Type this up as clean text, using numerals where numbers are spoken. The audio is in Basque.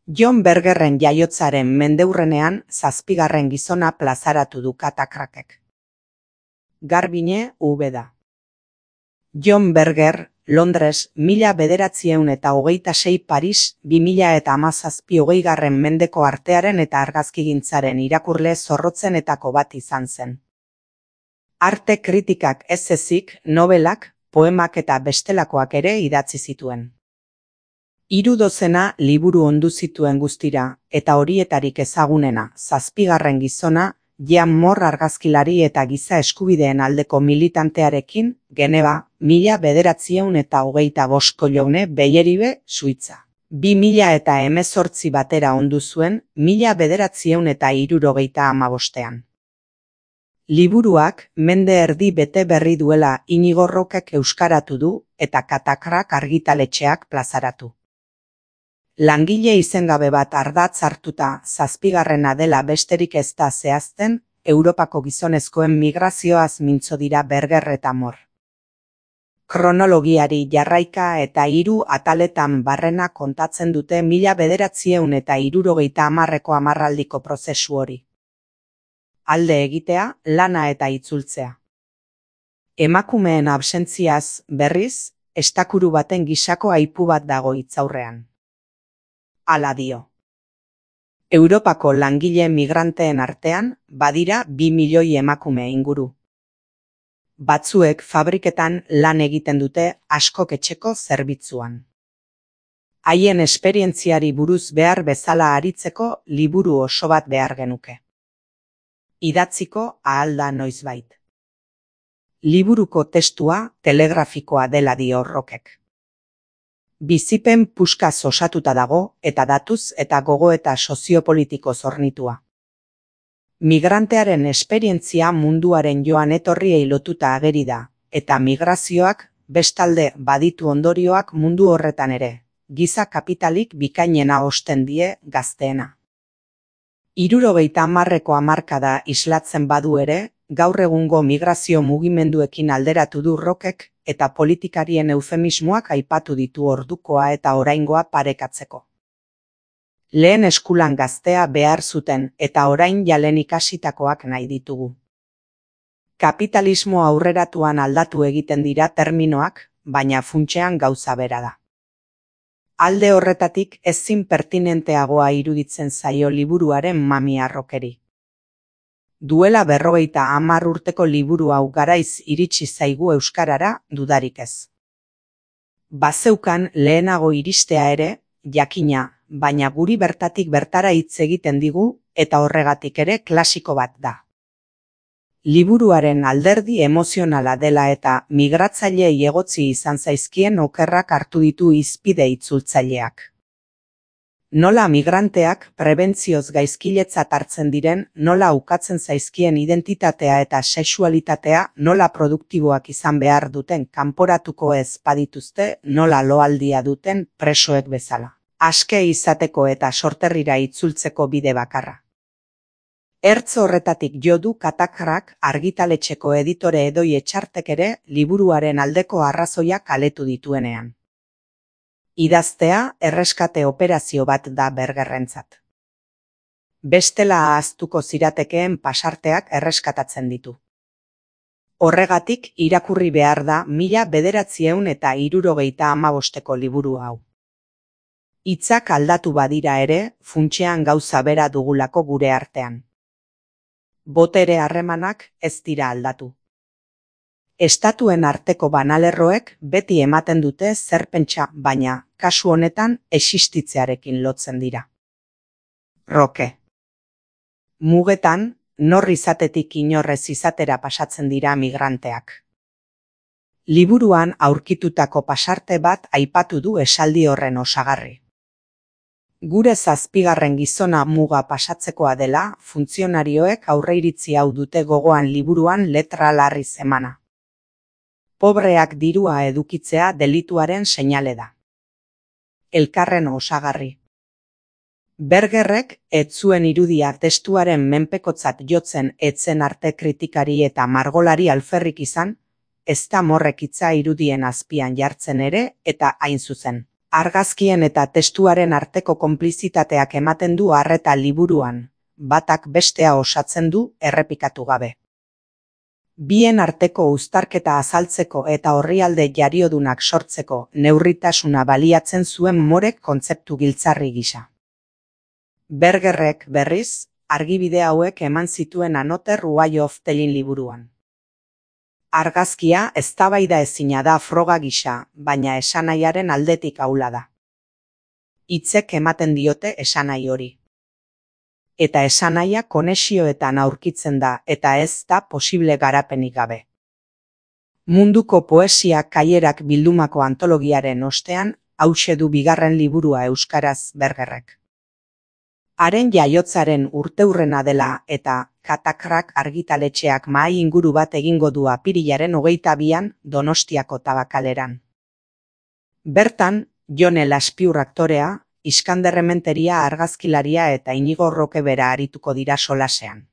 John Bergerren jaiotzaren mendeurrenean 7. gizona plazaratu du Katakrakek. Garbine Ubeda. John Berger, Londres, 1926 Paris, 2017 20. mendeko artearen eta argazkigintzaren irakurle zorrotzenetako bat izan zen. Arte kritikak ez ezik, nobelak, poemak eta bestelakoak ere idatzi zituen. 30 liburu ondu zituen guztira, eta horietarik ezagunena, 7. gizona, Jean Moore argazkilari eta giza eskubideen aldeko militantearekin, Geneva, 1925 Joune Beyeribe, Suitza. 2018 batera ondu zuen, 1975. Liburuak, mende erdi bete berri duela Inigo Rockek euskaratu du, eta Katakrak argitaletxeak plazaratu. Langile izengabe bat ardatz hartuta 7. dela besterik ez da zehazten, Europako gizonezkoen migrazioaz mintzo dira Berger eta Moore. Kronologiari jarraika eta 3 ataletan barrena kontatzen dute 1970ko hamarraldiko prozesu hori. Alde egitea, lana eta itzultzea. Emakumeen absentziaz, berriz, estakuru baten gisako aipu bat dago hitzaurrean. Hala dio. Europako langile migranteen artean, badira 2 milioi emakume inguru. Batzuek fabriketan lan egiten dute askok etxeko zerbitzuan. Haien esperientziari buruz behar bezala aritzeko liburu oso bat behar genuke. Idatziko ahal da noizbait. Liburuko testua telegrafikoa dela dio Rockek. Bizipen puskaz osatuta dago eta datuz eta gogoeta soziopolitiko zornitua. Migrantearen esperientzia munduaren joan etorriei lotuta ageri da, eta migrazioak bestalde baditu ondorioak mundu horretan ere, giza kapitalik bikainena osten die gazteena. 70ko hamarkada islatzen badu ere, gaur egungo migrazio mugimenduekin alderatu du Rockek eta politikarien eufemismoak aipatu ditu ordukoa eta oraingoa parekatzeko. Lehen eskulan gaztea behar zuten eta orain jalen ikasitakoak nahi ditugu. Kapitalismo aurreratuan aldatu egiten dira terminoak, baina funtsean gauza bera da. Alde horretatik ezin pertinenteagoa iruditzen zaio liburuaren mamia Rockeri. Duela 50 urteko liburu hau garaiz iritsi zaigu euskarara dudarik ez. Bazeukan lehenago iristea ere, jakina, baina guri bertatik bertara hitz egiten digu eta horregatik ere klasiko bat da. Liburuaren alderdi emozionala dela eta migratzaileei egotzi izan zaizkien okerrak hartu ditu hizpide itzultzaileak. Nola migranteak prebentzioz gaizkiletzat hartzen diren, nola ukatzen zaizkien identitatea eta sexualitatea, nola produktiboak izan behar duten kanporatuko ez badituzte, nola loaldia duten presoek bezala. Aske izateko eta sorterrira itzultzeko bide bakarra. Ertz horretatik jo du Katakrak argitaletxeko editore Edoi Etxartek ere liburuaren aldeko arrazoiak kaletu dituenean. Idaztea erreskate operazio bat da Bergerrentzat. Bestela ahaztuko ziratekeen pasarteak erreskatatzen ditu. Horregatik irakurri behar da 1975ko liburu hau. Hitzak aldatu badira ere, funtsean gauza bera dugulako gure artean. Botere harremanak ez dira aldatu. Estatuen arteko banalerroek beti ematen dute zer pentsa, baina, kasu honetan, existitzearekin lotzen dira. Roke. Mugetan, nor izatetik inorrez izatera pasatzen dira migranteak. Liburuan aurkitutako pasarte bat aipatu du esaldi horren osagarri. Gure 7. gizona muga pasatzekoa dela, funtzionarioek aurreiritzi hau dute gogoan liburuan letra larriz emana. Pobreak dirua edukitzea delituaren seinale da. Elkarren osagarri. Bergerrek ez zuen irudia testuaren menpekotzat jotzen etzen arte kritikari eta margolari alferrik izan, ez da Moorrek hitza irudien azpian jartzen ere eta hain zuzen. Argazkien eta testuaren arteko konplizitateak ematen du arreta liburuan, batak bestea osatzen du errepikatu gabe. Bien arteko uztarketa azaltzeko eta orrialde jariodunak sortzeko neurritasuna baliatzen zuen Moorek kontzeptu giltzarri gisa. Bergerrek, berriz, argibide hauek eman zituen Another Way of Telling liburuan. Argazkia eztabaida ezina da froga gisa, baina esanahiaren aldetik ahula da. Hitzek ematen diote esanahi hori. Eta esanahia konexioetan aurkitzen da eta ez da posible garapenik gabe. Munduko poesia kaierak bildumako antologiaren ostean hauxe du bigarren liburua euskaraz Bergerrek. Haren jaiotzaren urteurrena dela eta Katakrak argitaletxeak mahai inguru bat egingo du apirilaren 22an Donostiako Tabakaleran. Bertan, Jon Elazpiur aktorea, Iskander Rementeria argazkilaria eta Inigo Roque bera arituko dira solasean.